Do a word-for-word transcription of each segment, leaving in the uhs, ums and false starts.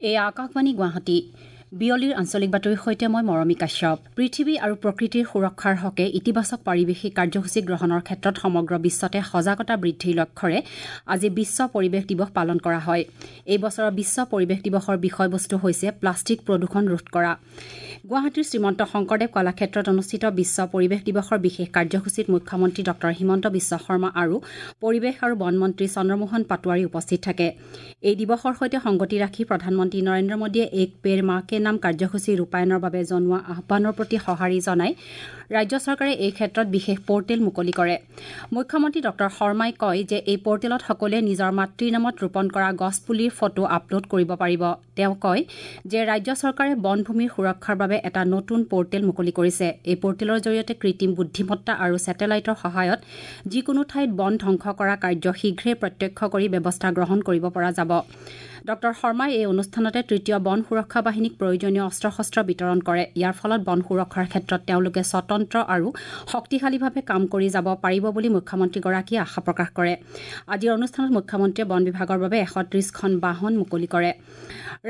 এই আকাশবাণী গুৱাহাটী বিয়লিৰ আঞ্চলিক বাতৰিৰ সৈতে মই মৰমী কাশ্যপ। পৃথিৱী আৰু প্ৰকৃতিৰ সুৰক্ষাৰ হকে ইতিবাচক পাৰিৱেশিক কাৰ্যসূচী গ্ৰহণৰ ক্ষেত্ৰত সমগ্ৰ বিশ্বতে সজাগতা বৃদ্ধিৰ লক্ষ্যৰে আজি বিশ্ব পৰিৱেশ দিৱস পালন কৰা হয়। এই বছৰৰ বিশ্ব পৰিৱেশ দিৱসৰ বিষয়বস্তু হৈছে প্লাষ্টিক প্ৰদূষণ ৰোধ কৰা। গুৱাহাটীৰ শ্ৰীমন্ত শংকৰদেৱ কলাক্ষেত্ৰত অনুষ্ঠিত বিশ্ব পৰিৱেশ দিৱসৰ বিশেষ কাৰ্যসূচীত মুখ্যমন্ত্ৰী ডক্টৰ হিমন্ত বিশ্ব শৰ্মা আৰু পৰিৱেশ আৰু বন মন্ত্ৰী চন্দ্ৰমোহন পাটোৱাৰী উপস্থিত থাকে। এই দিৱসৰ সৈতে সংগতি ৰাখি প্ৰধানমন্ত্ৰী নৰেন্দ্ৰ মোদীয়ে এক পেৰ মা কে নাম কাৰ্যসূচী ৰূপায়ণৰ বাবে জনোৱা আহ্বানৰ প্ৰতি সঁহাৰি জনাই ৰাজ্য চৰকাৰে এই ক্ষেত্ৰত বিশেষ পৰ্টেল মুকলি কৰে। মুখ্যমন্ত্ৰী ডক্টৰ শৰ্মাই কয় যে এই পৰ্টেলত সকলোৱে নিজৰ মাতৃৰ নামত ৰোপণ কৰা গছপুলিৰ ফটো আপলোড কৰিব পাৰিব। তেওঁ কয় যে ৰাজ্য চৰকাৰে বনভূমিৰ সুৰক্ষাৰ বাবে এটা নতুন পৰ্টেল মুকলি কৰিছে। এই পৰ্টেলৰ জৰিয়তে কৃত্ৰিম বুদ্ধিমত্তা আৰু ছেটেলাইটৰ সহায়ত যিকোনো ঠাইত বন ধ্বংস কৰা কাৰ্য শীঘ্ৰে প্ৰত্যক্ষ কৰি ব্যৱস্থা গ্ৰহণ কৰিব পৰা যাব। ডক্টৰ শৰ্মাই এই অনুষ্ঠানতে তৃতীয় বন সুৰক্ষা বাহিনীক প্ৰয়োজনীয় অস্ত্ৰ শস্ত্ৰ বিতৰণ কৰে। ইয়াৰ ফলত বন সুৰক্ষাৰ ক্ষেত্ৰত তেওঁলোকে স্বতন্ত্ৰ আৰু শক্তিশালীভাৱে কাম কৰি যাব পাৰিব বুলি মুখ্যমন্ত্ৰীগৰাকীয়ে আশা প্ৰকাশ কৰে। আজিৰ অনুষ্ঠানত মুখ্যমন্ত্ৰীয়ে বন বিভাগৰ বাবে এশ ত্ৰিশখন বাহন মুকলি কৰে।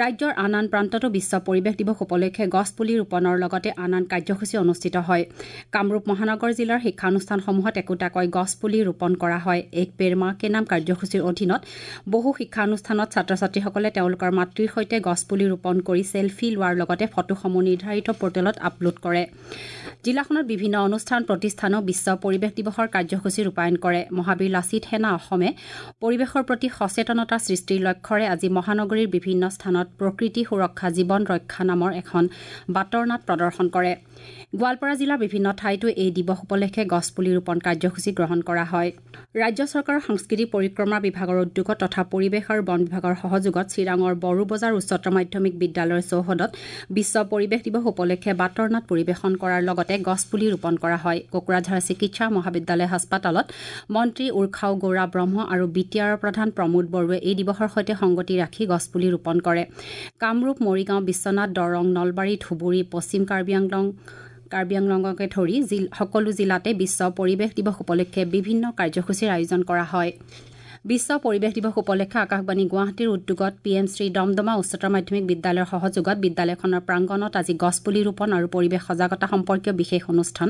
ৰাজ্যৰ আন আন প্ৰান্ততো বিশ্ব পৰিৱেশ দিৱস উপলক্ষে গছপুলি ৰোপণৰ লগতে আন আন কাৰ্যসূচী অনুষ্ঠিত হয়। কামৰূপ মহানগৰ জিলাৰ শিক্ষানুষ্ঠানসমূহত একোটাকৈ গছপুলি ৰোপণ কৰা হয়। এক পেৰ মা কে নাম কাৰ্যসূচীৰ অধীনত বহু শিক্ষানুষ্ঠানত ছাত্ৰ ছাত্ৰীসকলে তেওঁলোকৰ মাতৃৰ সৈতে গছপুলি ৰোপণ কৰি চেলফি লোৱাৰ লগতে ফটোসমূহ নিৰ্ধাৰিত পৰ্টেলত আপলোড কৰে। জিলাখনত বিভিন্ন অনুষ্ঠান প্ৰতিষ্ঠানো বিশ্ব পৰিৱেশ দিৱসৰ কাৰ্যসূচী ৰূপায়ণ কৰে। মহাবীৰ লাচিত সেনা অসমে পৰিৱেশৰ প্ৰতি সচেতনতা সৃষ্টিৰ লক্ষ্যৰে আজি মহানগৰীৰ বিভিন্ন স্থানত প্ৰকৃতি সুৰক্ষা জীৱন ৰক্ষা নামৰ এখন বাটৰ নাট প্ৰদৰ্শন কৰে। গোৱালপাৰা জিলাৰ বিভিন্ন ঠাইতো এই দিৱস উপলক্ষে গছপুলি ৰোপণ কাৰ্যসূচী গ্ৰহণ কৰা হয়। ৰাজ্য চৰকাৰৰ সাংস্কৃতিক পৰিক্ৰমা বিভাগৰ উদ্যোগত তথা পৰিৱেশ আৰু বন বিভাগৰ সহযোগত চিৰাঙৰ বড়োবজাৰ উচ্চতৰ মাধ্যমিক বিদ্যালয়ৰ চৌহদত বিশ্ব পৰিৱেশ দিৱস উপলক্ষে বাটৰ নাট পৰিৱেশন কৰাৰ লগতে গছপুলি ৰোপণ কৰা হয়। কোকৰাঝাৰ চিকিৎসা মহাবিদ্যালয় হাস্পতালত মন্ত্ৰী উৰ্খাও গৌৰা ব্ৰহ্ম আৰু বি টি আৰৰ প্ৰধান প্ৰমোদ বড়োৱে এই দিৱসৰ সৈতে সংগতি ৰাখি গছপুলি ৰোপণ কৰে। কামৰূপ, মৰিগাঁও, বিশ্বনাথ, দৰং, নলবাৰী, ধুবুৰী, পশ্চিম কাৰ্বি আংলং কাৰ্বি আংলঙকে ধৰি সকলো জিলাতে বিশ্ব পৰিৱেশ দিৱস উপলক্ষে বিভিন্ন কাৰ্যসূচীৰ আয়োজন কৰা হয়। বিশ্ব পৰিৱেশ দিৱস উপলক্ষে আকাশবাণী গুৱাহাটীৰ উদ্যোগত পি এম শ্ৰী দমদমা উচ্চতৰ মাধ্যমিক বিদ্যালয়ৰ সহযোগত বিদ্যালয়খনৰ প্ৰাংগণত আজি গছপুলি ৰোপণ আৰু পৰিৱেশ সজাগতা সম্পৰ্কীয় বিশেষ অনুষ্ঠান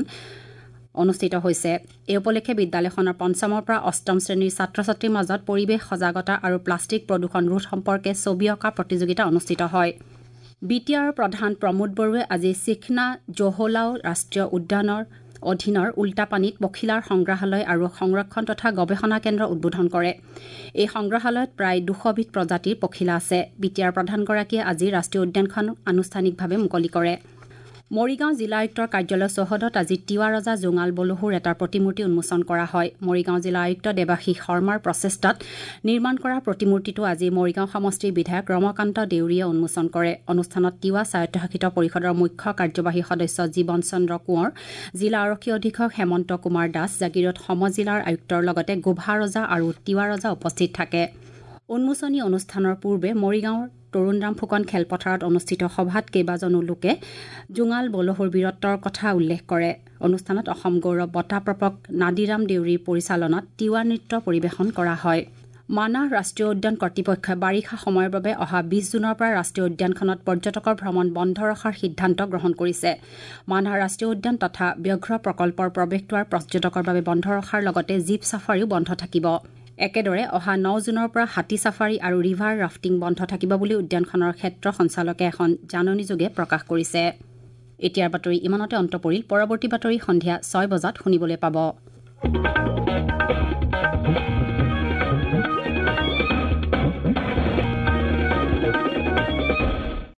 অনুষ্ঠিত হৈছে। এই উপলক্ষে বিদ্যালয়খনৰ পঞ্চমৰ পৰা অষ্টম শ্ৰেণীৰ ছাত্ৰ ছাত্ৰীৰ মাজত পৰিৱেশ সজাগতা আৰু প্লাষ্টিক প্ৰদূষণ ৰোধ সম্পৰ্কে ছবি অঁকা প্ৰতিযোগিতা অনুষ্ঠিত হয়। বি টি আৰৰ প্ৰধান প্ৰমোদ বড়োৱে আজি চিখনা জহলাও ৰাষ্ট্ৰীয় উদ্যানৰ অধীনৰ উল্টাপানীত পখিলাৰ সংগ্ৰহালয় আৰু সংৰক্ষণ তথা গৱেষণা কেন্দ্ৰ উদ্বোধন কৰে। এই সংগ্ৰহালয়ত প্ৰায় দুশবিধ প্ৰজাতিৰ পখিলা আছে। বি টি আৰ প্ৰধানগৰাকীয়ে আজি ৰাষ্ট্ৰীয় উদ্যানখন আনুষ্ঠানিকভাৱে মুকলি কৰে। মৰিগাঁও জিলা আয়ুক্তৰ কাৰ্যালয় চৌহদত আজি তিৱা ৰজা জোঙাল বলহুৰ এটা প্ৰতিমূৰ্তি উন্মোচন কৰা হয়। মৰিগাঁও জিলা আয়ুক্ত দেৱাশীষ শৰ্মাৰ প্ৰচেষ্টাত নিৰ্মাণ কৰা প্ৰতিমূৰ্তিটো আজি মৰিগাঁও সমষ্টিৰ বিধায়ক ৰমাকান্ত দেউৰীয়ে উন্মোচন কৰে। অনুষ্ঠানত তিৱা স্বায়ত্তশাসিত পৰিষদৰ মুখ্য কাৰ্যবাহী সদস্য জীৱন চন্দ্ৰ কোঁৱৰ, জিলা আৰক্ষী অধীক্ষক হেমন্ত কুমাৰ দাস, জাগীৰোড সমজিলাৰ আয়ুক্তৰ লগতে গোভা ৰজা আৰু তিৱা ৰজা উপস্থিত থাকে। উন্মোচনী অনুষ্ঠানৰ পূৰ্বে মৰিগাঁৱৰ তৰুণৰাম ফুকন খেলপথাৰত অনুষ্ঠিত সভাত কেইবাজনো লোকে জোঙাল বলহুৰ বীৰত্বৰ কথা উল্লেখ কৰে। অনুষ্ঠানত অসম গৌৰৱ বঁটা প্ৰাপক নাদিৰাম দেউৰীৰ পৰিচালনাত তিৱা নৃত্য পৰিৱেশন কৰা হয়। মানাহ ৰাষ্ট্ৰীয় উদ্যান কৰ্তৃপক্ষই বাৰিষা সময়ৰ বাবে অহা বিছ জুনৰ পৰা ৰাষ্ট্ৰীয় উদ্যানখনত পৰ্যটকৰ ভ্ৰমণ বন্ধ ৰখাৰ সিদ্ধান্ত গ্ৰহণ কৰিছে। মানাহ ৰাষ্ট্ৰীয় উদ্যান তথা ব্যাঘ্ৰ প্ৰকল্পৰ প্ৰৱেশদ্বাৰ পৰ্যটকৰ বাবে বন্ধ ৰখাৰ লগতে জীপ ছাফাৰীও বন্ধ থাকিব। একেদৰে অহা ন জুনৰ পৰা হাতী ছাফাৰী আৰু ৰিভাৰ ৰাফটিং বন্ধ থাকিব বুলি উদ্যানখনৰ ক্ষেত্ৰ সঞ্চালকে এখন জাননীযোগে প্ৰকাশ কৰিছে। এতিয়াৰ বাতৰি ইমানতে অন্ত পৰিল। পৰৱৰ্তী বাতৰি সন্ধিয়া ছয় বজাত শুনিবলৈ পাব।